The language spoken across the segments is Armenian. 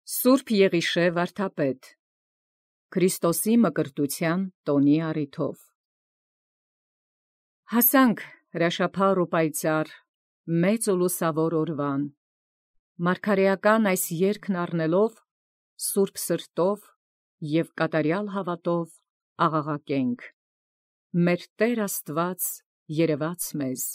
Սուրբ Եղիշե վարդապետ Քրիստոսի մկրտության տոնի առիթով հասանք հրաշափառ ու պայծառ մեծ ու լուսավոր օրվան, մարգարեական այս երգն առնելով սուրբ սրտով և կատարյալ հավատով աղաղակենք. մեր Տեր Աստված երևաց մեզ։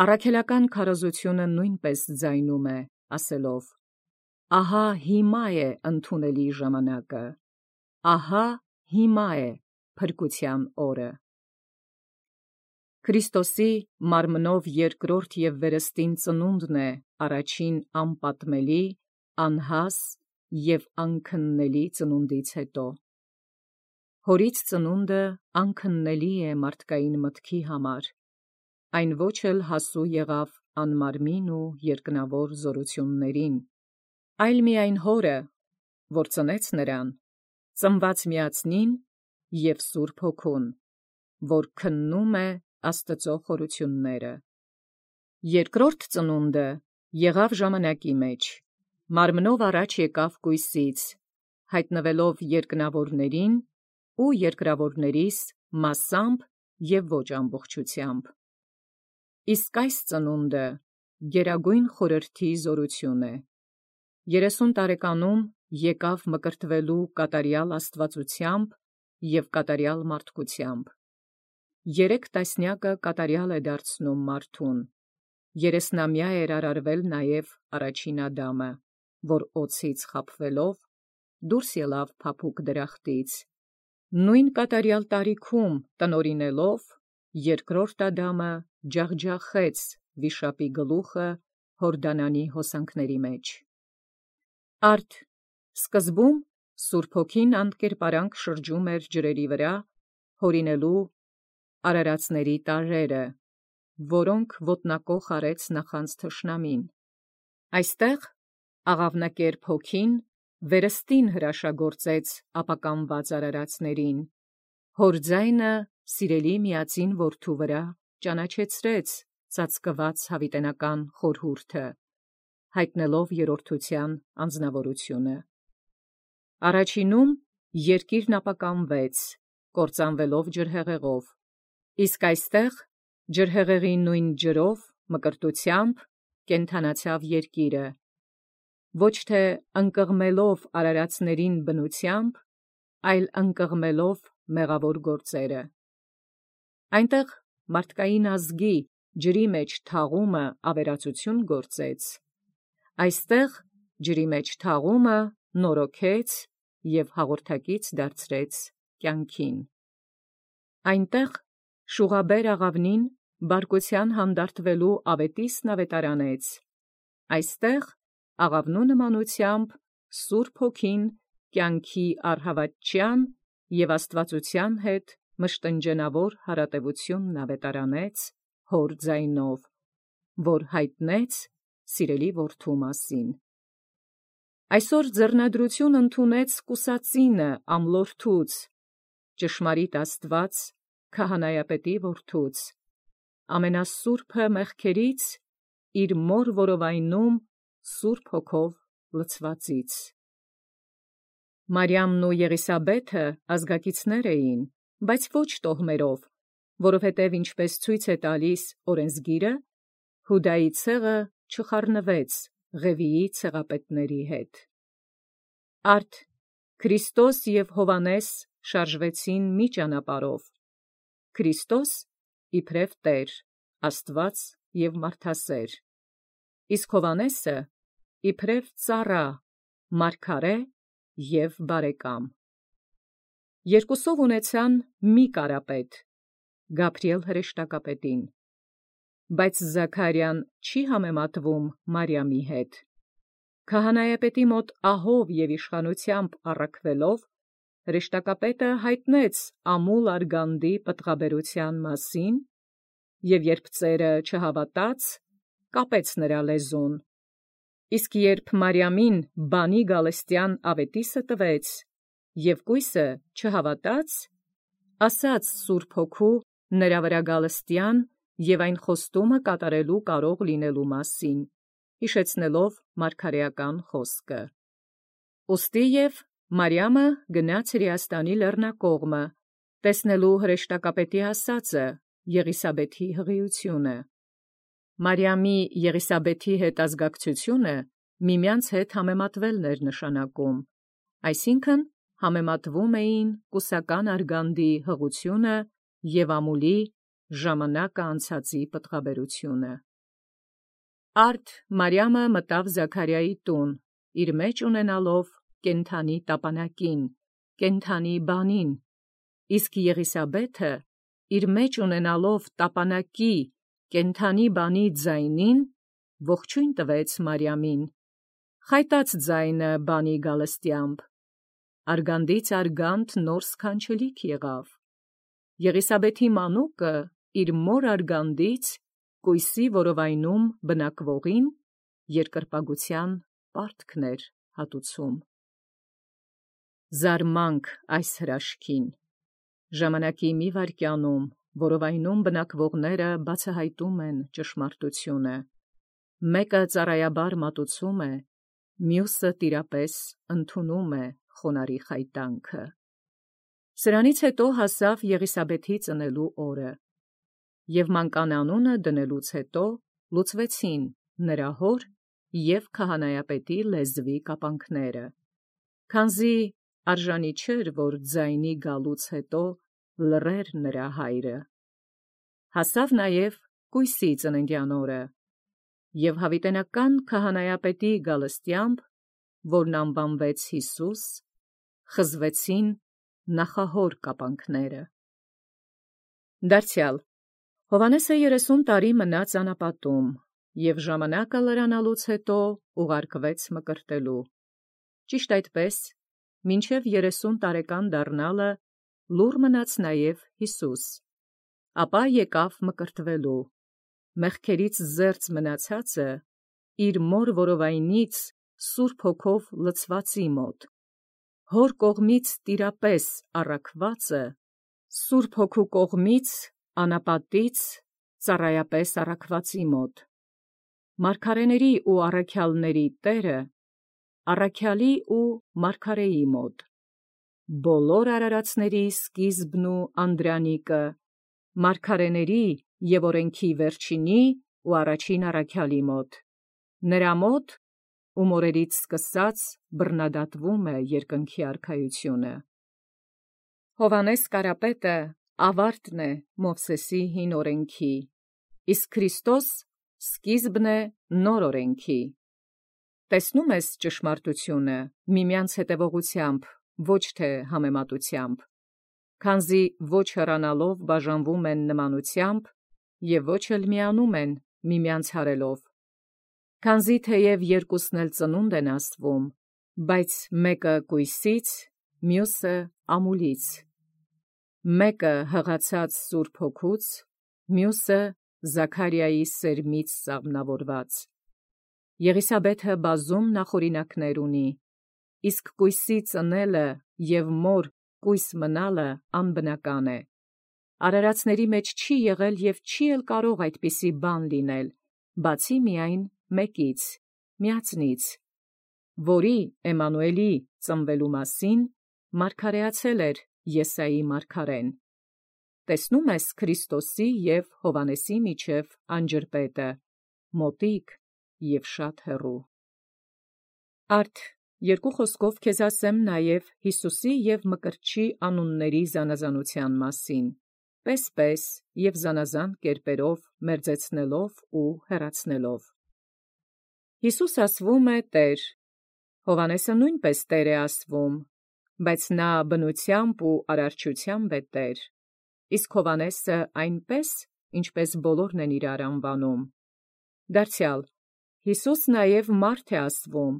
Առաքելական քարոզությունը նույնպես ձայնում է, ասելով. ահա հիմա է ընդունելի ժամանակը, ահա հիմա է փրկության օրը։ Քրիստոսի մարմնով երկրորդ և վերստին ծնունդն է առաջին անպատմելի, անհաս և անքննելի ծնունդից հետո։ Հորից ծնունդը անքննելի է մարդկային մտքի համար, այն ոչ էլ հասու եղավ անմարմին ու երկնավոր զորություններին, այլ միայն հորը, որ ծնեց նրան, ծնված միածնին և Սուրբ Հոգուն, որ քննում է Աստծո խորությունները։ Երկրորդ ծնունդը եղավ ժամանակի մեջ, մարմնով առաջ եկավ կույսից, հայտնվելով երկնավորներին ու երկրավորներիս մասամբ և ոչ ամբողջությամբ։ Իսկ այս ծնունդը գերագույն խորհրդի զորություն է։ 30 տարեկանում եկավ մկրտվելու կատարյալ աստվածությամբ և կատարյալ մարդկությամբ։ 3 տասնյակը կատարյալ է դարձնում մարդուն, 30-ամյա էր արարվել նաև առաջին Ադամը, որ օձից խաբվելով դուրս ելավ փափուկ դրախտից, նույն կատարյալ տարիքում տնօրինելով երկրորդ Ադամը ջախջախեց վիշապի գլուխը Հորդանանի հոսանքների մեջ։ Արդ սկզբում Սուրբ Հոգին անդկերպարանք շրջում էր ջրերի վրա, հորինելու արարածների տարրերը, որոնք ոտնակոխ արեց նախանձ թշնամին։ Այստեղ աղավնակերպ Հոգին վերստին հրաշագործեց ապականված արարածներին, հոր ձայնը սիրելի միածին Որդու վրա ճանաչեցրեց ծածկված հավիտենական խորհուրդը, հայտնելով երրորդության անձնավորությունը։ Առաջինում երկիրն ապականվեց, կործանվելով ջրհեղեղով, իսկ այստեղ ջրհեղեղի նույն ջրով մկրտությամբ կենդանացավ երկիրը, ոչ թե ընկղմելով արարածներին բնությամբ, այլ ընկղմելով մեղավոր գործերը։ Այնտեղ մարդկային ազգի ջրի մեջ թաղումը ավերածություն գործեց, այստեղ ջրի մեջ թաղումը նորոգեց և հաղորդակից դարձրեց կյանքին։ Այնտեղ շուղաբեր աղավնին բարկության հանդարտվելու ավետիսն ավետարանեց, այստեղ աղավնու նմանությամբ Սուրբ Հոգին կյանքի առհավատչյան և աստվածության հետ մշտնջենավոր հարատևությունն ավետարանեց հոր ձայնով, որ հայտնեց սիրելի Որդու մասին։ Այսօր ձեռնադրություն ընդունեց կուսածինը ամլորդուց, ճշմարիտ Աստված քահանայապետի Որդուց, ամենասուրբը մեղքերից իր մոր որովայնում Սուրբ Հոգով լցվածից։ Մարիամն ու Եղիսաբեթը ազգակիցներ էին, բայց ոչ տոհմերով, որովհետև ինչպես ցույց է տալիս օրենսգիրը, Հուդայի ցեղը չխառնվեց Ղևիի ցեղապետների հետ։ Արդ Քրիստոս և Հովհաննես շարժվեցին մի ճանապարհով, Քրիստոս իբրև Տեր, Աստված և մարդասեր, իսկ Հովհաննեսը իբրև ծառա, մարգարե և բարեկամ։ Երկուսով ունեցան մի կարապետ, Գաբրիել հրեշտակապետին, բայց Զաքարիան չի համեմատվում Մարիամի հետ։ Քահանայապետի մոտ ահով և իշխանությամբ առաքվելով, հրեշտակապետը հայտնեց ամուլ արգանդի պտղաբերության մասին, և երբ ծերը չհավատաց, կապեց նրա լեզուն, իսկ երբ Մարիամին բանի գալստյան ավետիսը տվեց, և կույսը չհավատաց, ասաց Սուրբ Հոգու նրա վրա գալստյան և այն խոստումը կատարելու կարող լինելու մասին, հիշեցնելով մարգարեական խոսքը. Ոստի և Մարիամը գնաց Հրեաստանի լեռնակողմը, տեսնելու հրեշտակապետի ասածը, Եղիսաբեթի հղիությունը։ Մարիամի Եղիսաբեթի հետ ազգակցությունը միմյանց հետ համեմատվելն էր նշանակում, այսինքն համեմատվում էին կուսական արգանդի հղությունը և ամուլի ժամանակը անցածի պտղաբերությունը։ Արդ Մարիամը մտավ Զաքարիայի տուն, իր մեջ ունենալով կենդանի տապանակին, կենդանի բանին, իսկ Եղիսաբեթը իր մեջ ունենալով տապանակի, կենդանի բանի ձայնին, ողջույն տվեց Մարիամին, խայտած ձայնը բանի գալստյամբ, արգանդից արգանդ նոր սքանչելիք եղավ։ Եղիսաբեթի մանուկը իր մոր արգանդից կույսի որովայնում բնակվողին երկրպագության պարտքն էր հատուցում։ Զարմանք այս հրաշքին։ Ժամանակի մի վայրկյանում որովայնում բնակվողները բացահայտում են ճշմարտությունը։ Մեկը ծառայաբար մատուցում է, մյուսը տիրապես ընդունում է խոնարհի խայտանքը։ Սրանից հետո հասավ Եղիսաբեթի ծնելու օրը, և մանկան անունը դնելուց հետո լուծվեցին նրա հոր և քահանայապետի լեզվի կապանքները, քանզի արժանի չէր, որ ձայնի գալուց հետո լռեր նրա հայրը։ Հասավ նաև կույսի ծննդյան օրը, և հավիտենական քահանայապետի գալստյամբ, որն անվանվեց Յիսուս, խզվեցին նախահոր կապանքները։ Դարձյալ Հովհաննեսը 30 տարի մնաց անապատում, և ժամանակը լրանալուց հետո ուղարկվեց մկրտելու։ Ճիշտ այդպես, մինչև 30 տարեկան դառնալը լուռ մնաց նաև Յիսուս, ապա եկավ մկրտվելու, մեղքերից զերծ մնացածը իր մոր որովայնից Սուրբ Հոգով լցվածի մոտ, հոր կողմից տիրապես առաքվածը, Սուրբ Հոգու կողմից անապատից ծառայապես առաքվածի մոտ, մարգարեների ու առաքյալների Տերը, առաքյալի ու մարգարեի մոտ, բոլոր արարածների սկիզբն ու անդրանիկը, մարգարեների և օրենքի վերջինի ու առաջին առաքյալի մոտ, նրա մոտ, ում օրերից սկսած բռնադատվում է երկնքի արքայությունը։ Հովհաննես Կարապետը ավարտն է Մովսեսի հին օրենքի, իսկ Քրիստոս սկիզբն է նոր օրենքի։ Տեսնում ես ճշմարտությունը միմյանց հետևողությամբ, ոչ թե համեմատությամբ, քանզի ոչ հեռանալով բաժանվում են նմանությամբ և ոչ էլ միանում են միմյանց հարելով, քանզի թեև երկուսն էլ ծնունդ են աստվում, բայց մեկը կույսից, մյուսը ամուլից, մեկը հղացած Սուրբ Հոգուց, մյուսը Զաքարիայի սերմից սաղմնավորված։ Եղիսաբեթը բազում նախօրինակներ ունի, իսկ կույսի ծնելը և մոր կույս մնալը անբնական է։ Արարածների մեջ չի եղել և չի էլ կարող այդպիսի բան լինել, բացի միայն մեկից, միածնից, որի Էմմանուելի ծնվելու մասին մարգարեացել էր Եսայի մարգարեն։ Տեսնում ես Քրիստոսի և Հովհաննեսի միջև անջրպետը, մոտիկ և շատ հեռու։ Արդ երկու խոսքով քեզ ասեմ նաև Յիսուսի և Մկրտչի անունների զանազանության մասին, պես և զանազան կերպերով մերձեցնելով ու հեռացնելով։ Յիսուս ասվում է Տեր, Հովհաննեսը նույնպես Տեր է ասվում, բայց նա բնությամբ ու արարչությամբ է Տեր, իսկ Հովհաննեսը այնպես, ինչպես բոլորն են իրար անվանում։ Դարձյալ Յիսուս նաև մարդ է ասվում,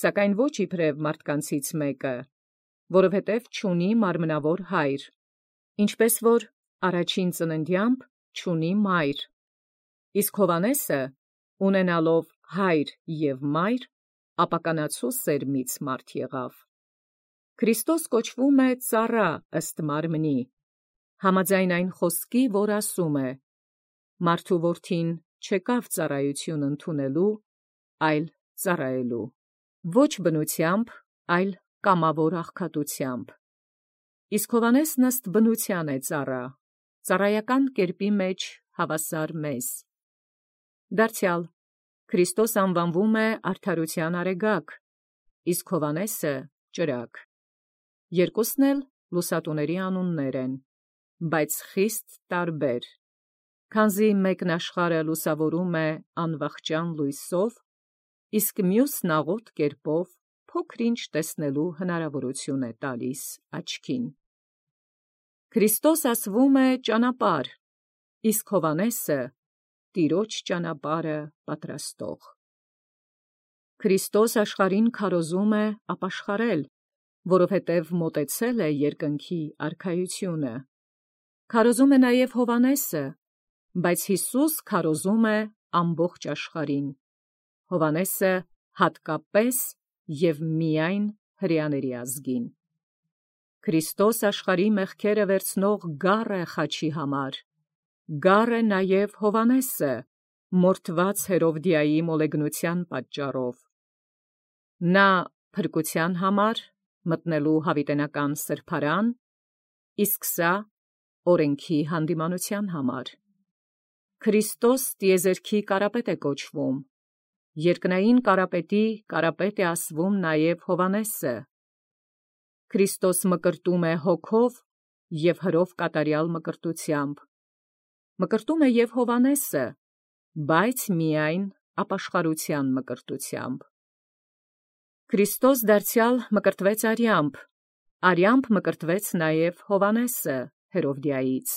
սակայն ոչ իբրև մարդկանցից մեկը, որովհետև չունի մարմնավոր հայր, ինչպես որ առաջին ծննդյամբ չունի մայր, իսկ Հովհաննեսը, ունենալով հայր և մայր, ապականացու սերմից մարդ եղավ։ Քրիստոս կոչվում է ծառա ըստ մարմնի, համաձայն այն խոսքի, որ ասում է. «Մարդու որդին չեկավ ծառայություն ընդունելու, այլ ծառայելու», ոչ բնությամբ այլ կամավոր աղքատությամբ։ Իսկ Հովհաննեսն ըստ բնութեան է ծառա, ծառայական կերպի մեջ հավասար մեզ։ Դարձյալ Քրիստոս անվանվում է արդարութեան արեգակ, իսկ Հովհաննեսը ճրագ։ Երկուսն էլ լուսատուների անուններ են, բայց խիստ տարբեր, քանզի մեկն աշխարհը լուսավորում է անվախճան լույսով, իսկ մյուսն աղոտ կերպով փոքր-ինչ տեսնելու հնարավորություն է տալիս աչքին։ Քրիստոս ասվում է ճանապարհ, իսկ Հովհաննեսը Տիրոջ ճանապարհը պատրաստող։ Քրիստոս աշխարհին քարոզում է ապաշխարել, որովհետև մոտեցել է երկնքի արքայությունը։ Քարոզում է նաև Հովհաննեսը, բայց Յիսուս քարոզում է ամբողջ աշխարհին, Հովհաննեսը հատկապես և միայն հրեաների ազգին։ Քրիստոս աշխարհի մեղքերը վերցնող գառ է խաչի համար, գառ է նաև Հովհաննեսը, մորթված Հերովդիայի մոլեգնության պատճառով։ Նա փրկության համար մտնելու հավիտենական սրբարան, իսկ սա օրենքի հանդիմանության համար։ Քրիստոս տիեզերքի կարապետ է կոչվում, երկնային կարապետի կարապետ է ասվում նաև Հովհաննեսը։ Քրիստոս մկրտում է հոգով և հրով կատարյալ մկրտությամբ, մկրտում է և Հովհաննեսը, բայց միայն ապաշխարության մկրտությամբ։ Քրիստոս դարձյալ մկրտվեց արյամբ մկրտվեց նաև Հովհաննեսը Հերովդիայից։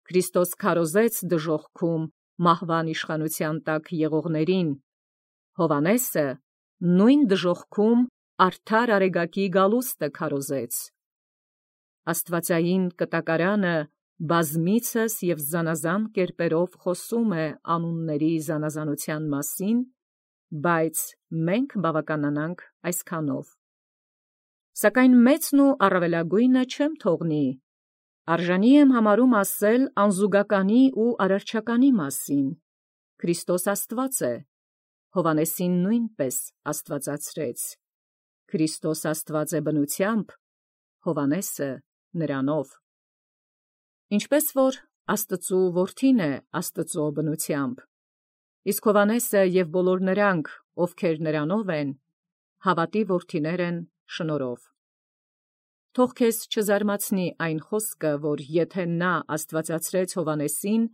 Քրիստոս քարոզեց դժոխքում մահվան իշխանության տակ եղողներին, Հովհաննեսը նույն դժոխքում արդար արեգակի գալուստը քարոզեց։ Աստվածային կտակարանը բազմիցս և զանազան կերպերով խոսում է անունների զանազանության մասին, բայց մենք բավականանանք այսքանով։ Սակայն մեծն ու առավելագույնը չեմ թողնի, արժանի եմ համարում ասել անզուգականի ու արարչականի մասին։ Քրիստոս Աստված է, Հովհաննեսին նույնպես աստվածացրեց։ Քրիստոս Աստված է բնությամբ, Հովհաննեսը նրանով։ Ինչպես որ Աստծու որդին է Աստծու բնությամբ, իսկ Հովհաննեսը և բոլոր նրանք, ովքեր նրանով են, հավատի որդիներ են շնորհով։ Թող քեզ չզարմացնի այն խոսքը, որ եթե նա աստվածացրեց Հովհաննեսին,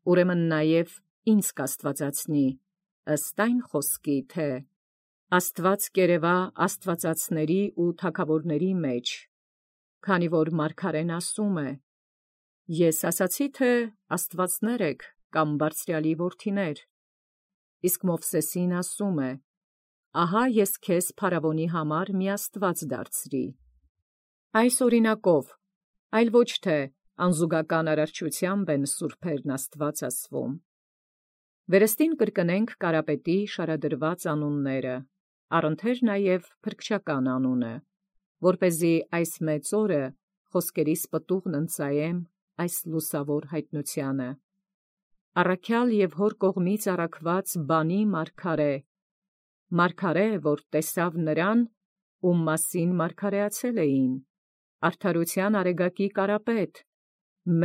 ուրեմն նաև ինձ կաստվածացնի, ըստ այն խոսքի, թե «Աստված կերևա աստվածածների ու թագավորների մեջ», քանի որ մարգարեն ասում է. «Ես ասացի, թե աստվածներ եք կամ բարձրյալի որդիներ», իսկ Մովսեսին ասում է. «Ահա ես քեզ փարավոնի համար մի աստված դարձրի»։ Այս օրինակով, այլ ոչ թե անզուգական արարչությամբ են սուրբերն Աստված ասվում։ Վերստին կրկնենք կարապետի շարադրված անունները, առընթեր նաև փրկչական անունը, որպեսզի այս մեծ օրը խոսքերիս պտուղն ընծայեմ այս լուսավոր հայտնությանը։ Առաքյալ և հոր կողմից առաքված բանի մարգարե, որ տեսավ նրան, ում մասին մարգարեացել էին, արդարութեան արեգակի կարապետ,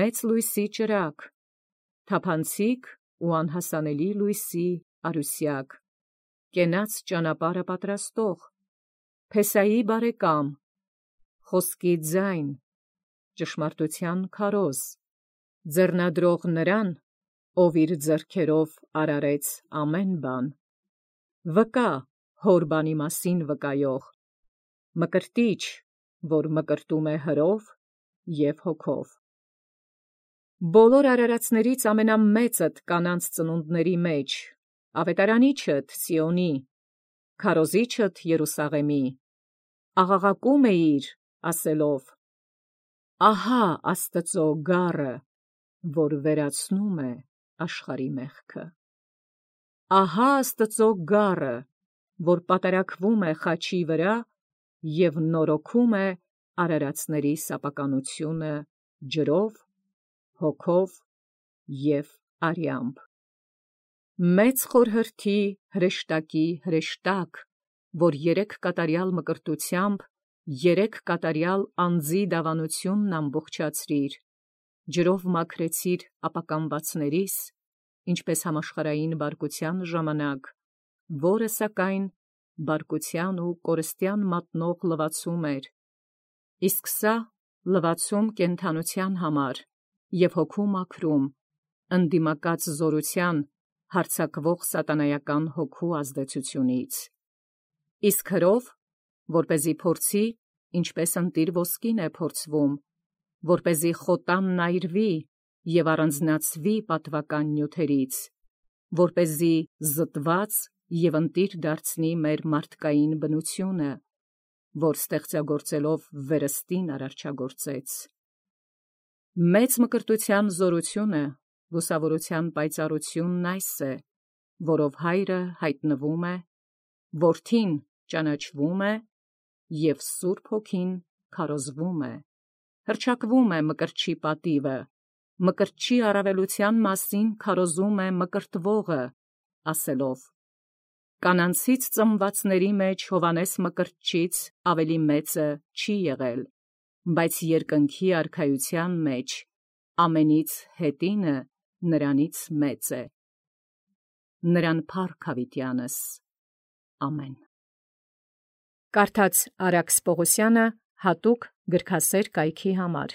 մեծ լույսի ճրագ, թափանցիկ ու անհասանելի լույսի արուսյակ, կենաց ճանապարհը պատրաստող, Փեսայի բարեկամ, խոսքի ձայն, ճշմարտութեան քարոզ, ձեռնադրող նրան, ով իր ձեռքերով արարեց ամեն բան, վկա հոր բանի մասին վկայող, մկրտիչ, որ մկրտում է հրով և հոգով։ Բոլոր արարածներից ամենամեծդ կանանց ծնունդների մեջ, ավետարանիչդ Սիոնի, քարոզիչդ Երուսաղեմի, աղաղակում էիր, ասելով. «Ահա Աստծու գառը, որ վերացնում է աշխարհի մեղքը. ահա Աստծու գառը, որ պատարակվում է խաչի վրա և նորոգում է արարածների սապականությունը ջրով, հոգով և արյամբ։ Մեծ խորհրդի հրեշտակի հրեշտակ, որ 3 կատարյալ մկրտութեամբ 3 կատարյալ անձի դավանութիւնն ամբողջացրիր, ջրով մաքրեցիր ապականվածներիս, ինչպես համաշխարհային բարկութեան ժամանակ, որը սակայն բարկութեան ու կորստեան մատնող լվացում էր, իսկ սա լվացում կենթանութեան համար և հոգու մաքրում, ընդդիմակաց զորութեան հարձակվող սատանայական հոգու ազդեցությունից, իսկ հրով, որպեսզի փորձի, ինչպես ընտիր ոսկին է փորձվում, որպեսզի խոտանն այրվի և առանձնացվի պատվական նյութերից, որպեսզի զտված և ընտիր դարձնի մեր մարդկային բնությունը, որ ստեղծագործելով վերստին արարչագործեց։ Մեծ մկրտութեան զորությունը, լուսավորութեան պայծառությունն այս է, որով Հայրը յայտնվում է, Որդին ճանաչվում է, և Սուրբ Հոգին քարոզվում է, հռչակվում է մկրտչի պատիվը, մկրտչի առավելութեան մասին քարոզում է մկրտվողը, ասելով. «Կանանցից ծնվածների մեջ Հովհաննես մկրտչից ավելի մեծը չի եղել, բայց երկնքի արքայութեան մեջ ամենից հետինը նրանից մեծ է»։ Նրան փառք յաւիտեանս։ Ամեն։ Կարդաց Արաքս Պողոսյանը հատուկ գրքասեր կայքի համար։